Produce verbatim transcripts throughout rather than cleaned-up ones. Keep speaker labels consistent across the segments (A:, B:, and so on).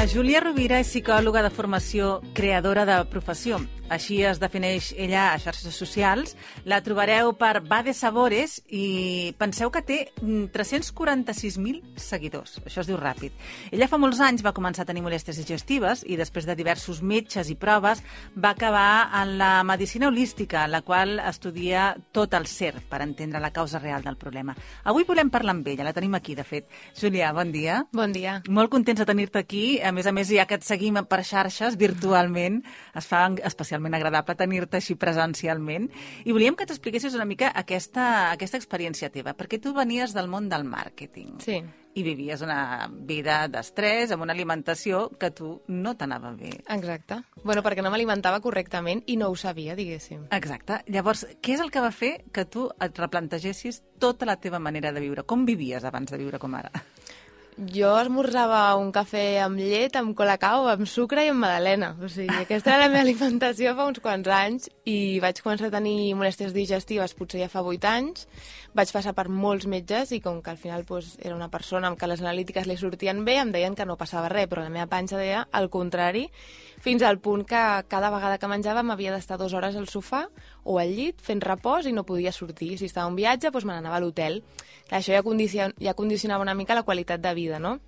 A: La Júlia Rovira és psicòloga de formació, creadora de professió. Així es defineix ella a xarxes socials. La trobareu per Va de Sabores i penseu que té tres-cents quaranta-sis mil seguidors. Això es diu ràpid. Ella fa molts anys va començar a tenir molèsties digestives i després de diversos metges i proves va acabar en la medicina holística, la qual estudia tot el ser per entendre la causa real del problema. Avui volem parlar amb ella, la tenim aquí, de fet. Júlia, bon dia.
B: Bon dia.
A: Molt contents de tenir-te aquí. A més a més, ja que et seguim per xarxes virtualment, es fa especialment agradable tenir-te així presencialment. I volíem que t'expliquessis una mica aquesta, aquesta experiència teva, perquè tu venies del món del màrqueting.
B: Sí.
A: I vivies una vida d'estrès, amb una alimentació que tu no t'anava bé.
B: Exacte. Bueno, perquè no m'alimentava correctament i no ho sabia, diguéssim.
A: Exacte. Llavors, què és el que va fer que tu et replantegessis tota la teva manera de viure? Com vivies abans de viure com ara?
B: Jo esmorzava un cafè amb llet, amb colacao, amb sucre i amb magdalena. O sigui, aquesta era la meva alimentació fa uns quants anys i vaig començar a tenir molèsties digestives potser ja fa vuit anys. Vaig passar per molts metges i com que al final doncs, era una persona amb què les analítiques li sortien bé, em deien que no passava res, però la meva panxa deia el contrari, fins al punt que cada vegada que menjava m'havia d'estar dues hores al sofà o al llit fent repòs i no podia sortir. Si estava a un viatge, doncs me n'anava a l'hotel. Això ja, condicion ja condicionava una mica la qualitat de vida, no?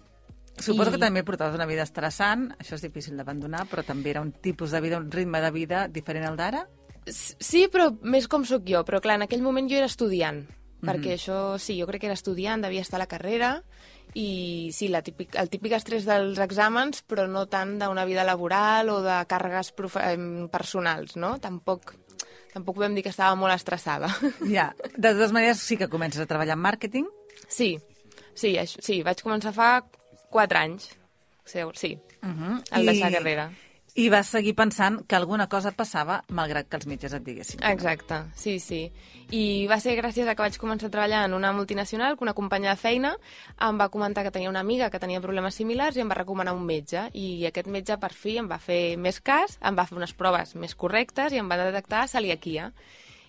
A: Suposo
B: I...
A: que també portaves una vida estressant, això és difícil d'abandonar, però també era un tipus de vida, un ritme de vida diferent al d'ara?
B: Sí, però més com sóc jo. Però clar, en aquell moment jo era estudiant,
A: Mm-hmm.
B: perquè això, sí, jo crec que era estudiant, devia estar a la carrera, i sí, la típic, el típic estrès dels exàmens, però no tant d'una vida laboral o de càrregues personals, no? Tampoc, tampoc podem dir que estava molt estressada.
A: Ja, de totes maneres sí que comences a treballar en màrqueting?
B: Sí, sí, això, sí, vaig començar fa quatre anys, sí,
A: uh-huh.
B: al
A: I...
B: deixar carrera.
A: I vas seguir pensant que alguna cosa passava malgrat que els metges et diguessin.
B: Exacte, sí, sí. I va ser gràcies a que vaig començar a treballar en una multinacional, que una companya de feina em va comentar que tenia una amiga que tenia problemes similars i em va recomanar un metge. I aquest metge, per fi, em va fer més cas, em va fer unes proves més correctes i em va detectar celiaquia.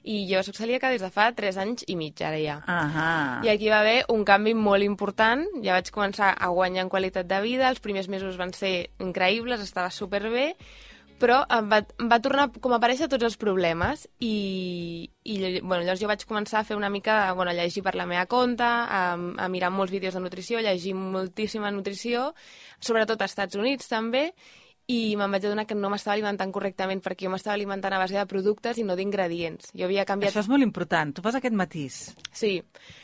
B: I jo soc celíaca des de fa tres anys i mig, ara ja.
A: Ahà.
B: I aquí va haver un canvi molt important. Ja vaig començar a guanyar en qualitat de vida, els primers mesos van ser increïbles, estava superbé, però em va, em va tornar com a aparèixer tots els problemes i, i bueno, llavors jo vaig començar a fer una mica, bueno, a llegir per la meva compte, a, a mirar molts vídeos de nutrició, a llegir moltíssima nutrició, sobretot als Estats Units també, i me'n vaig adonar que no m'estava alimentant correctament perquè jo m'estava alimentant a base de productes i no d'ingredients. Jo havia canviat...
A: Això és molt important, tu fas aquest matís.
B: Sí,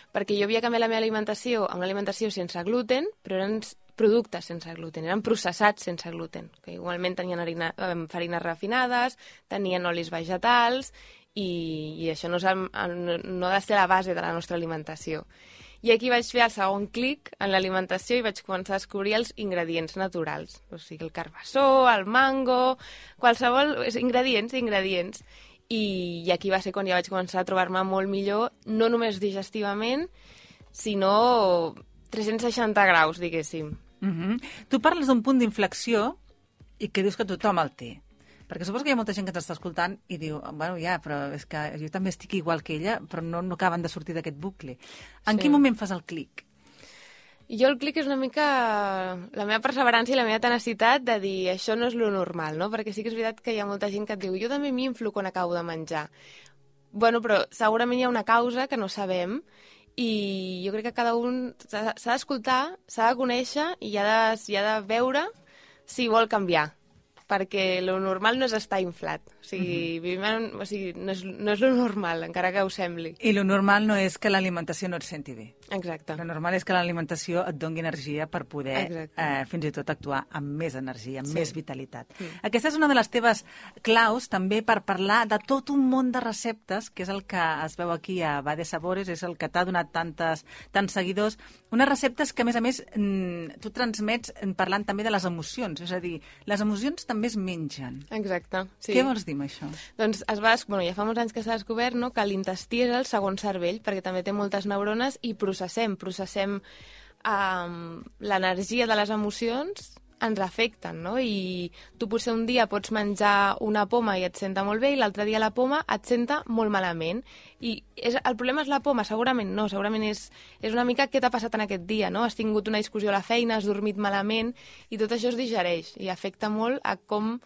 B: perquè jo havia canviat la meva alimentació a una alimentació sense gluten, però eren productes sense gluten, eren processats sense gluten, que igualment tenien harina, farines refinades, tenien olis vegetals, i, i això no, és el, no ha de ser la base de la nostra alimentació. I aquí vaig fer el segon clic en l'alimentació i vaig començar a descobrir els ingredients naturals. O sigui, el carbassó, el mango, qualsevol... Ingredients, ingredients. I, I aquí va ser quan ja vaig començar a trobar-me molt millor, no només digestivament, sinó tres-cents seixanta graus, diguéssim.
A: Uh-huh. Tu parles d'un punt d'inflexió i que dius que tothom el té. Perquè suposo que hi ha molta gent que ens està escoltant i diu, bueno, ja, però és que jo també estic igual que ella, però no, no acaben de sortir d'aquest bucle. En
B: Sí.
A: quin moment fas el clic?
B: Jo el clic és una mica la meva perseverança i la meva tenacitat de dir això no és lo normal, no? Perquè sí que és veritat que hi ha molta gent que et diu jo també m'inflo quan acabo de menjar. Bueno, però segurament hi ha una causa que no sabem i jo crec que cada un s'ha d'escoltar, s'ha de conèixer i ha de, i ha de veure si vol canviar, perquè lo normal no és estar inflat. O sigui, uh-huh. vivim en, o sigui no, és, no és lo normal, encara que ho sembli.
A: I lo normal no és que l'alimentació no et senti bé.
B: Exacte.
A: Lo normal és que l'alimentació et doni energia per poder eh, fins i tot actuar amb més energia, amb
B: Sí.
A: més vitalitat.
B: Sí.
A: Aquesta és una de les teves claus també per parlar de tot un món de receptes, que és el que es veu aquí a Va de Sabores, és el que t'ha donat tantes, tants seguidors. Unes receptes que, a més a més, tu transmets parlant també de les emocions. És a dir, les emocions també es mengen.
B: Exacte, sí.
A: Què vols dir amb això?
B: Doncs es va, bueno, ja fa molts anys que s'ha descobert, no?, que l'intestí és el segon cervell, perquè també té moltes neurones i processem, processem um, l'energia de les emocions ens afecten, no? I tu potser un dia pots menjar una poma i et senta molt bé i l'altre dia la poma et senta molt malament. I és, el problema és la poma? Segurament no, segurament és, és una mica què t'ha passat en aquest dia, no? Has tingut una discussió a la feina, has dormit malament i tot això es digereix i afecta molt a com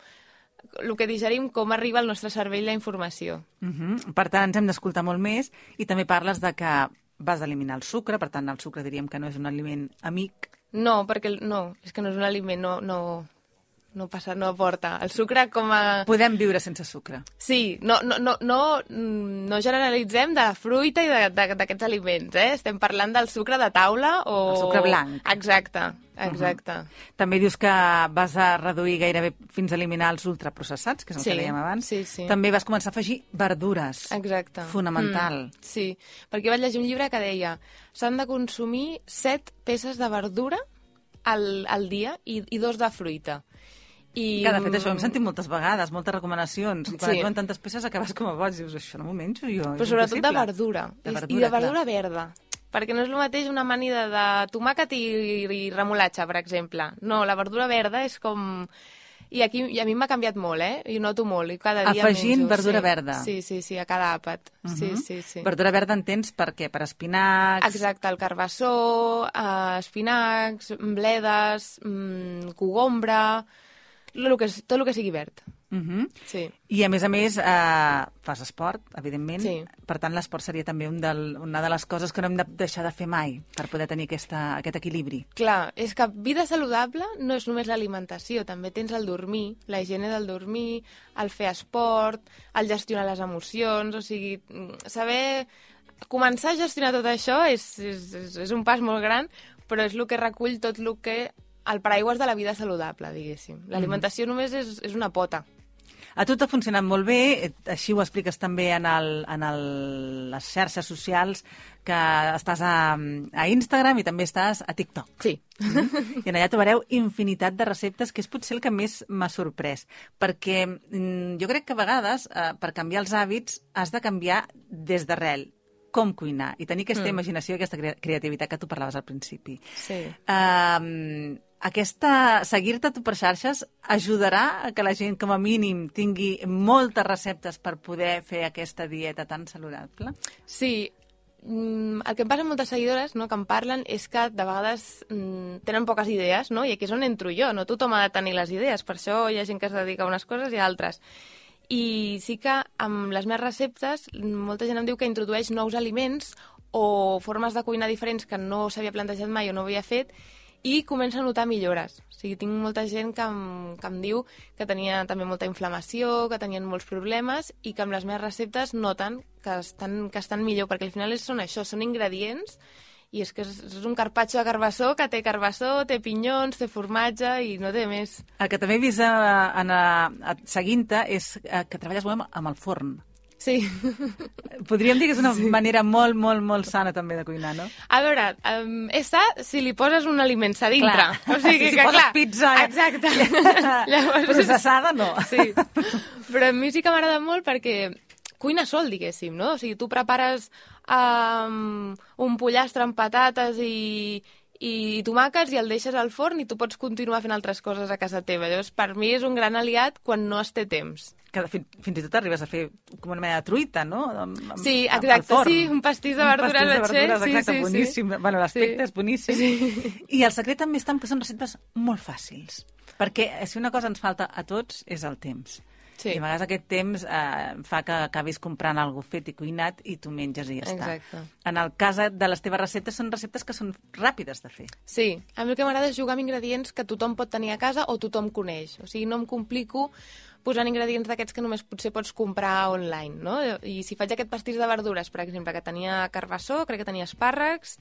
B: el que digerim, com arriba al nostre cervell la informació.
A: Uh-huh. Per tant, ens hem d'escoltar molt més i també parles de que vas eliminar el sucre, per tant, el sucre diríem que no és un aliment amic.
B: No, perquè no, és que no és un aliment, no, no, no passa, no aporta. El sucre com a...
A: Podem viure sense sucre.
B: Sí, no, no, no, no, no generalitzem de la fruita i d'aquests aliments, eh? Estem parlant del sucre de taula o...
A: El sucre blanc.
B: Exacte, exacte.
A: Uh-huh. També dius que vas a reduir gairebé fins a eliminar els ultraprocessats, que és el
B: sí,
A: que dèiem abans.
B: Sí, sí.
A: També vas començar a afegir verdures.
B: Exacte.
A: Fonamental.
B: Mm, sí, perquè vaig llegir un llibre que deia s'han de consumir set peces de verdura al, al dia i, i dos de fruita. I...
A: Que, de fet, això ho hem sentit moltes vegades, moltes recomanacions. I quan
B: sí.
A: et diuen tantes peces acabes com a boig. Dius, això no m'ho menjo jo.
B: Però sobretot de verdura.
A: De verdura.
B: I de verdura
A: clar.
B: verda. Perquè no és el mateix una amanida de tomàquet i, i remolatxa, per exemple. No, la verdura verda és com... I, aquí, i a mi m'ha canviat molt, eh? I noto molt. I cada dia
A: Afegint
B: menjo.
A: verdura
B: sí.
A: verda.
B: Sí, sí, sí, a cada àpat. Uh -huh. Sí, sí, sí.
A: Verdura verda entens per què? Per espinacs?
B: Exacte, el carbassó, eh, espinacs, bledes, mm, cogombra... Lo que, tot el que sigui verd.
A: Uh -huh.
B: Sí.
A: I, a més a més, eh, fas esport, evidentment.
B: Sí.
A: Per tant, l'esport seria també un del, una de les coses que no hem de deixar de fer mai per poder tenir aquesta, aquest equilibri.
B: Clar, és que vida saludable no és només l'alimentació, també tens el dormir, la higiene del dormir, el fer esport, el gestionar les emocions, o sigui, saber... Començar a gestionar tot això és, és, és, és un pas molt gran, però és el que recull tot el que... el paraigües de la vida saludable, diguéssim. L'alimentació mm. només és, és una pota.
A: A tu t'ha funcionat molt bé, així ho expliques també en, el, en el, les xarxes socials, que estàs a, a Instagram i també estàs a TikTok.
B: Sí.
A: Mm? I en allà trobareu infinitat de receptes, que és potser el que més m'ha sorprès. Perquè mm, jo crec que a vegades, eh, per canviar els hàbits, has de canviar des d'arrel com cuinar i tenir aquesta mm. imaginació i aquesta creativitat que tu parlaves al principi.
B: Sí.
A: Uh, aquesta, seguir-te tu per xarxes ajudarà a que la gent com a mínim tingui moltes receptes per poder fer aquesta dieta tan saludable?
B: Sí, el que em passa amb moltes seguidores, no, que em parlen, és que de vegades mm, tenen poques idees, no? I aquí és on entro jo, no tothom ha de tenir les idees, per això hi ha gent que es dedica a unes coses i a altres. I sí que amb les meves receptes molta gent em diu que introdueix nous aliments o formes de cuinar diferents que no s'havia plantejat mai o no havia fet i comença a notar millores. O sigui, tinc molta gent que em, que em diu que tenia també molta inflamació, que tenien molts problemes i que amb les meves receptes noten que estan, que estan millor, perquè al final són això, són ingredients i és que és, és un carpaccio de carbassó que té carbassó, té pinyons, té formatge i no té més.
A: El que també he vist a, a, a, seguint-te és que treballes molt amb el forn.
B: Sí.
A: Podríem dir que és una sí. manera molt, molt, molt sana també de cuinar, no?
B: A veure, um, és sa si li poses un aliment a dintre.
A: Clar.
B: O sigui
A: si
B: que,
A: poses
B: clar,
A: pizza...
B: Exacte.
A: Llavors, processada, no.
B: Sí. Però a mi sí que m'agrada molt perquè cuina sol, diguéssim, no? O sigui, tu prepares um, un pollastre amb patates i, i tomàquets i el deixes al forn i tu pots continuar fent altres coses a casa teva. Llavors, per mi és un gran aliat quan no es té temps.
A: Que fins, fins i tot arribes a fer com una mena de truita, no? Amb,
B: sí, exacte, sí, un pastís de verdures.
A: Un pastís de verdures,
B: sí,
A: exacte,
B: sí,
A: boníssim.
B: Sí.
A: Bueno, l'aspecte
B: sí.
A: és boníssim. Sí. I el secret també està en que són receptes molt fàcils. Perquè si una cosa ens falta a tots és el temps. Sí. I a vegades aquest temps eh, fa que acabis comprant alguna cosa fet i cuinat i tu menges i ja està.
B: Exacte.
A: En el cas de les teves receptes, són receptes que són ràpides de fer.
B: Sí, a mi el que m'agrada és jugar amb ingredients que tothom pot tenir a casa o tothom coneix. O sigui, no em complico posant ingredients d'aquests que només potser pots comprar online, no? I si faig aquest pastís de verdures, per exemple, que tenia carbassó, crec que tenia espàrrecs,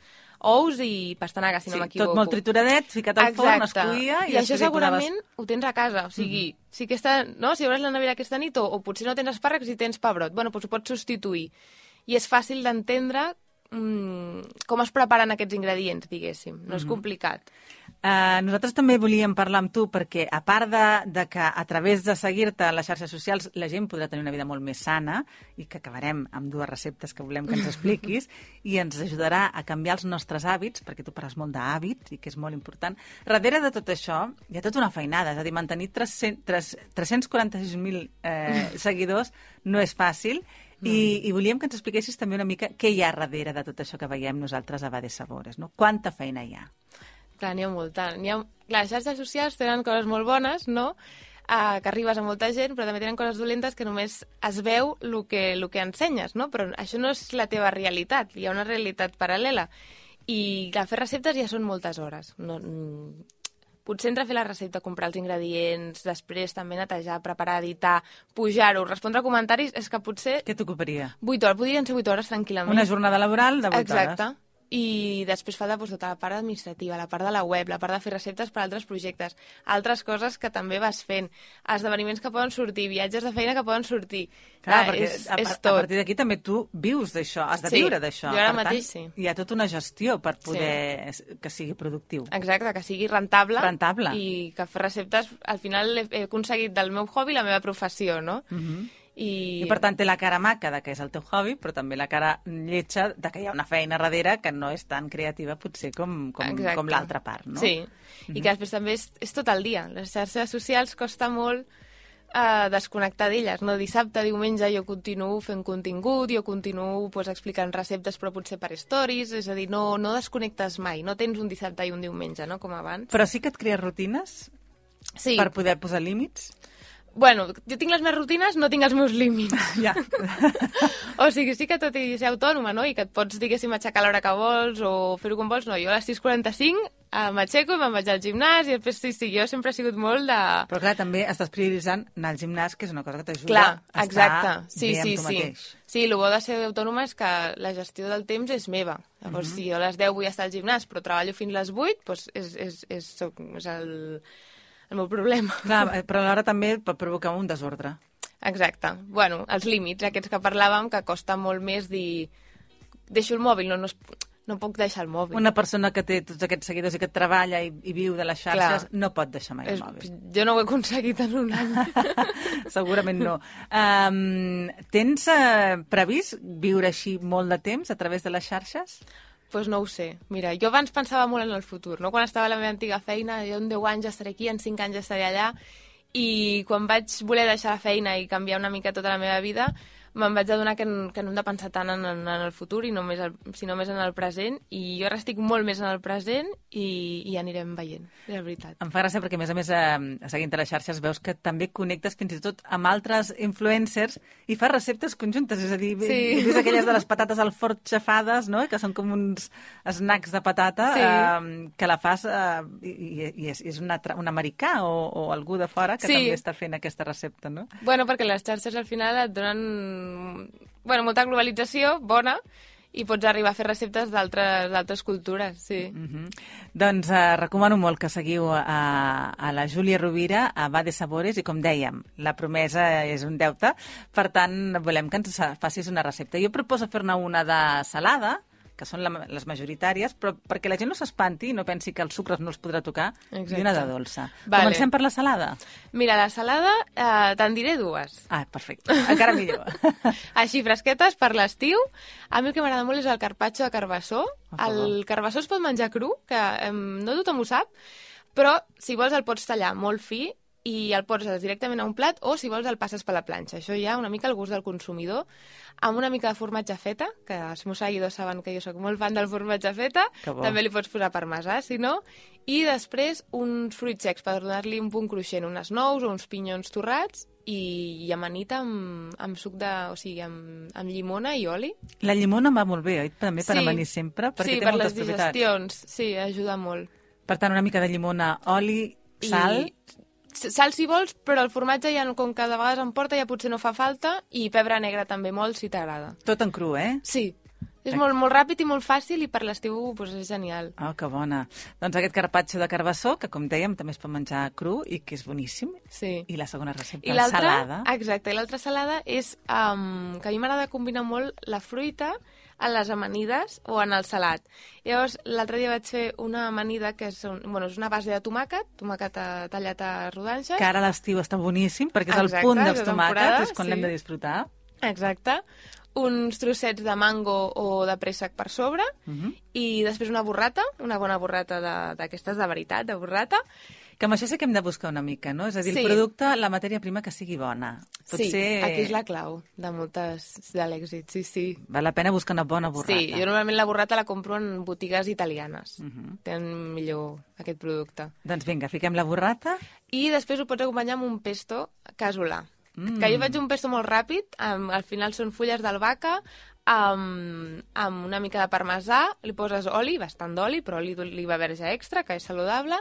B: ous i pastanaga, si
A: sí,
B: no m'equivoco.
A: Tot molt trituradet, ficat al forn, es cuia...
B: I, I això segurament ho tens a casa, o sigui, uh -huh. si, aquesta, no? si obres la nevera aquesta nit o, o potser no tens espàrrecs i tens pebrot, bueno, doncs ho pots substituir. I és fàcil d'entendre mm, com es preparen aquests ingredients, diguéssim. No és complicat.
A: Uh, nosaltres també volíem parlar amb tu perquè, a part de, de que a través de seguir-te a les xarxes socials la gent podrà tenir una vida molt més sana i que acabarem amb dues receptes que volem que ens expliquis i ens ajudarà a canviar els nostres hàbits, perquè tu parles molt d'hàbits i que és molt important. Darrere de tot això hi ha tota una feinada, és a dir, mantenir tres-cents quaranta-sis mil eh, seguidors no és fàcil. I, i volíem que ens expliquessis també una mica què hi ha darrere de tot això que veiem nosaltres a Va de Sabores, no? Quanta feina hi ha?
B: Clar, n'hi ha molta. N'hi ha... Clar, les xarxes socials tenen coses molt bones, no?, uh, que arribes a molta gent, però també tenen coses dolentes que només es veu el que, el que ensenyes, no? Però això no és la teva realitat, hi ha una realitat paral·lela. I clar, fer receptes ja són moltes hores. No, potser entre fer la recepta, comprar els ingredients, després també netejar, preparar, editar, pujar-ho, respondre a comentaris, és que potser...
A: Què t'ocuparia?
B: vuit hores, podrien ser vuit hores tranquil·lament.
A: Una jornada laboral de vuit
B: Exacte.
A: hores.
B: Exacte. I després falta doncs, tota la part administrativa, la part de la web, la part de fer receptes per a altres projectes, altres coses que també vas fent, esdeveniments que poden sortir, viatges de feina que poden sortir.
A: Clar,
B: ah,
A: perquè
B: és,
A: a,
B: és
A: a
B: tot.
A: partir d'aquí també tu vius d'això, has de
B: Sí,
A: viure d'això.
B: jo ara
A: Per
B: mateix
A: tant,
B: sí.
A: Hi ha tota una gestió per poder sí. que sigui productiu.
B: Exacte, que sigui rentable,
A: Rentable.
B: I que fer receptes, al final he, he aconseguit del meu hobby la meva professió, no?
A: Uh -huh.
B: I...
A: I per tant té la cara maca de que és el teu hobby, però també la cara lletja de que hi ha una feina darrere que no és tan creativa potser com, com, com l'altra part, no?
B: Sí, uh-huh. I que després també és, és tot el dia. Les xarxes socials costa molt uh, desconnectar d'elles, no? Dissabte, diumenge jo continuo fent contingut, jo continuo pues, explicant receptes però potser per stories, és a dir, no, no desconnectes mai, no tens un dissabte i un diumenge, no? Com abans.
A: Però sí que et crees rutines
B: sí.
A: per poder posar límits?
B: Bueno, jo tinc les meves rutines, no tinc els meus límits.
A: Ja.
B: O sigui, sí que tot i ser autònoma, no?, i que et pots, diguéssim, aixecar a l'hora que vols o fer-ho com vols, no, jo a les sis quaranta-cinc eh, m'aixeco i me'n vaig al gimnàs i després, sí, sí, jo sempre he sigut molt de...
A: Però clar, també estàs prioritzant anar al gimnàs, que és una cosa que t'ajuda
B: clar,
A: a
B: exacte.
A: estar
B: sí,
A: bé
B: sí,
A: amb tu
B: sí.
A: mateix.
B: Sí, el bo de ser autònoma és que la gestió del temps és meva. Llavors, uh -huh. si jo a les deu vull estar al gimnàs però treballo fins les vuit, doncs és, és, és, és el... el meu problema.
A: Clar, però alhora també pot provocar un desordre.
B: Exacte. Bueno, els límits, aquests que parlàvem, que costa molt més dir... Deixo el mòbil, no, no, no puc deixar el mòbil.
A: Una persona que té tots aquests seguidors i que treballa i, i viu de les xarxes Clar. no pot deixar mai el
B: És,
A: mòbil.
B: Jo no ho he aconseguit en un any.
A: Segurament no. Um, tens uh, previst viure així molt de temps a través de les xarxes?
B: Doncs pues no ho sé. Mira, jo abans pensava molt en el futur, no? Quan estava a la meva antiga feina, jo en deu anys ja estaré aquí, en cinc anys ja estaré allà, i quan vaig voler deixar la feina i canviar una mica tota la meva vida, me'n vaig adonar que, que no hem de pensar tant en, en, en el futur, i només el, sinó més en el present, i jo ara estic molt més en el present i, i anirem veient, és veritat.
A: Em fa gràcia perquè, a més a més, eh, seguint les xarxes, veus que també connectes fins i tot amb altres influencers i fas receptes conjuntes, és a dir,
B: sí.
A: ves aquelles de les patates al forn xafades, no?, que són com uns snacks de patata,
B: sí.
A: eh, que la fas eh, i, i és, és un, un americà o, o algú de fora que sí. també està fent aquesta recepta, no?
B: Bueno, perquè les xarxes al final et donen bueno, molta globalització, bona, i pots arribar a fer receptes d'altres cultures, sí.
A: Uh -huh. Doncs eh, recomano molt que seguiu a, a la Júlia Rovira, a Va de Sabores, i com dèiem, la promesa és un deute, per tant, volem que ens facis una recepta. Jo proposo fer-ne una de salada, que són la, les majoritàries, però perquè la gent no s'espanti i no pensi que els sucres no els podrà tocar, Exacte. i una de dolça. Vale. Comencem per la salada?
B: Mira, la salada eh, te'n diré dues.
A: Ah, perfecte. Encara millor.
B: Així, fresquetes per l'estiu. A mi el que m'agrada molt és el carpaccio de carbassó. El carbassó es pot menjar cru, que eh, no tothom ho sap, però si vols el pots tallar molt fi i el poses directament a un plat, o si vols el passes per la planxa. Això ja una mica al gust del consumidor, amb una mica de formatge feta, que els meus seguidors saben que jo sóc molt fan del formatge feta, també li pots posar parmesà, si no, i després uns fruits secs per donar-li un punt cruixent, unes nous o uns pinyons torrats, i, i amanita amb, amb suc de... o sigui, amb, amb llimona i oli.
A: La llimona va molt bé, oi? També per sí. amanir sempre, perquè
B: sí,
A: té
B: per
A: moltes
B: les digestions, sí, ajuda molt.
A: Per tant, una mica de llimona, oli, sal...
B: I... Sal si vols, però el formatge ja, com que de vegades em porta, ja potser no fa falta, i pebre negre també molt, si t'agrada.
A: Tot en cru, eh?
B: Sí. És molt, molt ràpid i molt fàcil i per l'estiu pues, és genial.
A: Oh, que bona. Doncs aquest carpaccio de carbassó, que com dèiem també es pot menjar cru i que és boníssim.
B: Sí.
A: I la segona recepta,
B: I
A: la salada.
B: Exacte, i l'altra salada és um, que a mi m'agrada combinar molt la fruita en les amanides o en el salat. Llavors, l'altre dia vaig fer una amanida que és, un, bueno, és una base de tomàquet, tomàquet tallat a rodanxes.
A: Que ara a l'estiu està boníssim, perquè és
B: Exacte,
A: el punt dels
B: de temporada,
A: tomàquets, és quan
B: sí.
A: l'hem de disfrutar.
B: Exacte. Uns trossets de mango o de préssec per sobre
A: Uh -huh.
B: i després una burrata, una bona burrata d'aquestes de, de veritat, de burrata.
A: Que amb això sí que hem de buscar una mica, no? És a dir,
B: Sí.
A: el producte, la matèria prima que sigui bona. Potser...
B: Sí, aquí és la clau de moltes de l'èxit, sí, sí.
A: Val la pena buscar una bona burrata.
B: Sí, jo normalment la burrata la compro en botigues italianes.
A: Uh -huh.
B: Tenen millor aquest producte.
A: Doncs vinga, fiquem la burrata.
B: I després ho pots acompanyar amb un pesto casolà.
A: Mm.
B: Que jo faig un pesto molt ràpid, um, al final són fulles d'albahaca, amb, amb una mica de parmesà, li poses oli, bastant d'oli, però oli d'oliva verge extra, que és saludable,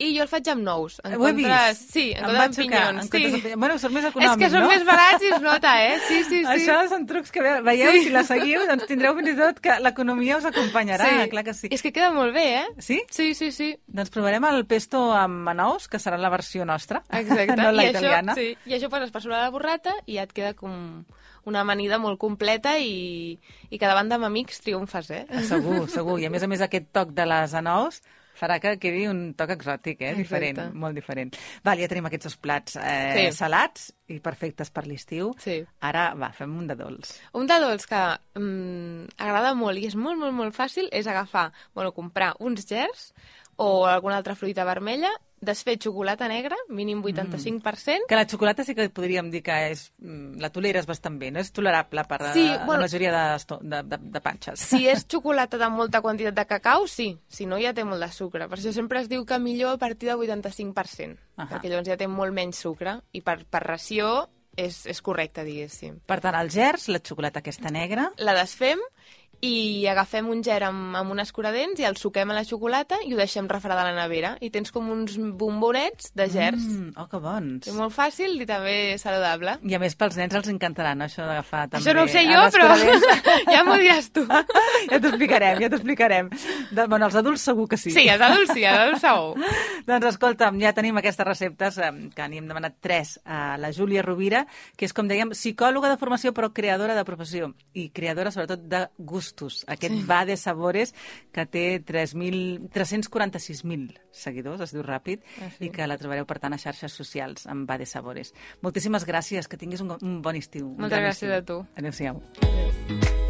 B: i jo el faig amb nous. En
A: Ho he
B: comptes,
A: vist.
B: Sí, en
A: Em
B: comptes
A: va
B: amb
A: xocar,
B: pinyons.
A: en
B: Sí.
A: comptes de- Bueno, són més econòmics,
B: És que són
A: no?
B: més barats i es nota, eh? Sí, sí, sí.
A: Això són trucs que ve- veieu,
B: Sí.
A: si la seguiu, doncs tindreu fins i tot que l'economia us acompanyarà,
B: Sí.
A: clar que sí.
B: És que queda molt bé, eh?
A: Sí?
B: Sí, sí, sí.
A: Doncs provarem el pesto amb anous, que serà la versió nostra,
B: Exacte.
A: no la
B: I
A: italiana.
B: Això, sí. I això poses per sobre la burrata i ja et queda com una amanida molt completa i, i que davant d'amics triomfes, eh?
A: Segur, segur. I a més a més aquest toc de les anous farà que quedi un toc exòtic, eh? Diferent,
B: Exacte.
A: molt diferent. Val, ja tenim aquests dos plats eh,
B: Sí.
A: salats i perfectes per l'estiu.
B: Sí.
A: Ara, va, fem un de dolç.
B: Un de dolç que mm, agrada molt i és molt, molt, molt fàcil és agafar, bueno, comprar uns gers o alguna altra fruita vermella, desfer xocolata negra, mínim vuitanta-cinc per cent.
A: Que la xocolata sí que podríem dir que és... mm, la toleres bastant bé, no? És tolerable per
B: Sí,
A: eh, la
B: bueno,
A: majoria de, esto- de, de, de panxes.
B: Si és xocolata de molta quantitat de cacau, sí. Si no, ja té molt de sucre. Per això sempre es diu que millor a partir de vuitanta-cinc per cent.
A: Ahà.
B: Perquè llavors ja té molt menys sucre i per, per ració és, és correcte, diguéssim.
A: Per tant, els gerds, la xocolata aquesta negra...
B: La desfem i agafem un ger amb, amb un escuradents i el suquem a la xocolata i ho deixem refredar a la nevera. I tens com uns bombonets de gers.
A: Mm, oh, que bons.
B: És molt fàcil i també saludable.
A: I a més, pels nens els encantarà, no?, això d'agafar també...
B: Això no ho sé
A: a
B: jo, però
A: l'escuradents.
B: ja m'ho diràs tu.
A: Ja t'ho explicarem, ja t'ho explicarem. De, bueno, els adults segur que sí.
B: Sí, els adults sí, els adults segur.
A: Doncs escolta'm, ja tenim aquestes receptes, eh, que n'hi hem demanat tres a la Júlia Rovira, que és, com dèiem, psicòloga de formació però creadora de professió i creadora sobretot de gustos. Aquest sí. Va de Sabores, que té tres mil tres-cents quaranta-sis mil seguidors, es diu ràpid,
B: ah, sí.
A: i que la trobareu, per tant, a xarxes socials amb Va de Sabores. Moltíssimes gràcies, que tinguis un, un bon estiu.
B: Moltes gràcies
A: estiu.
B: a tu.
A: Adéu-siau.
B: Adéu.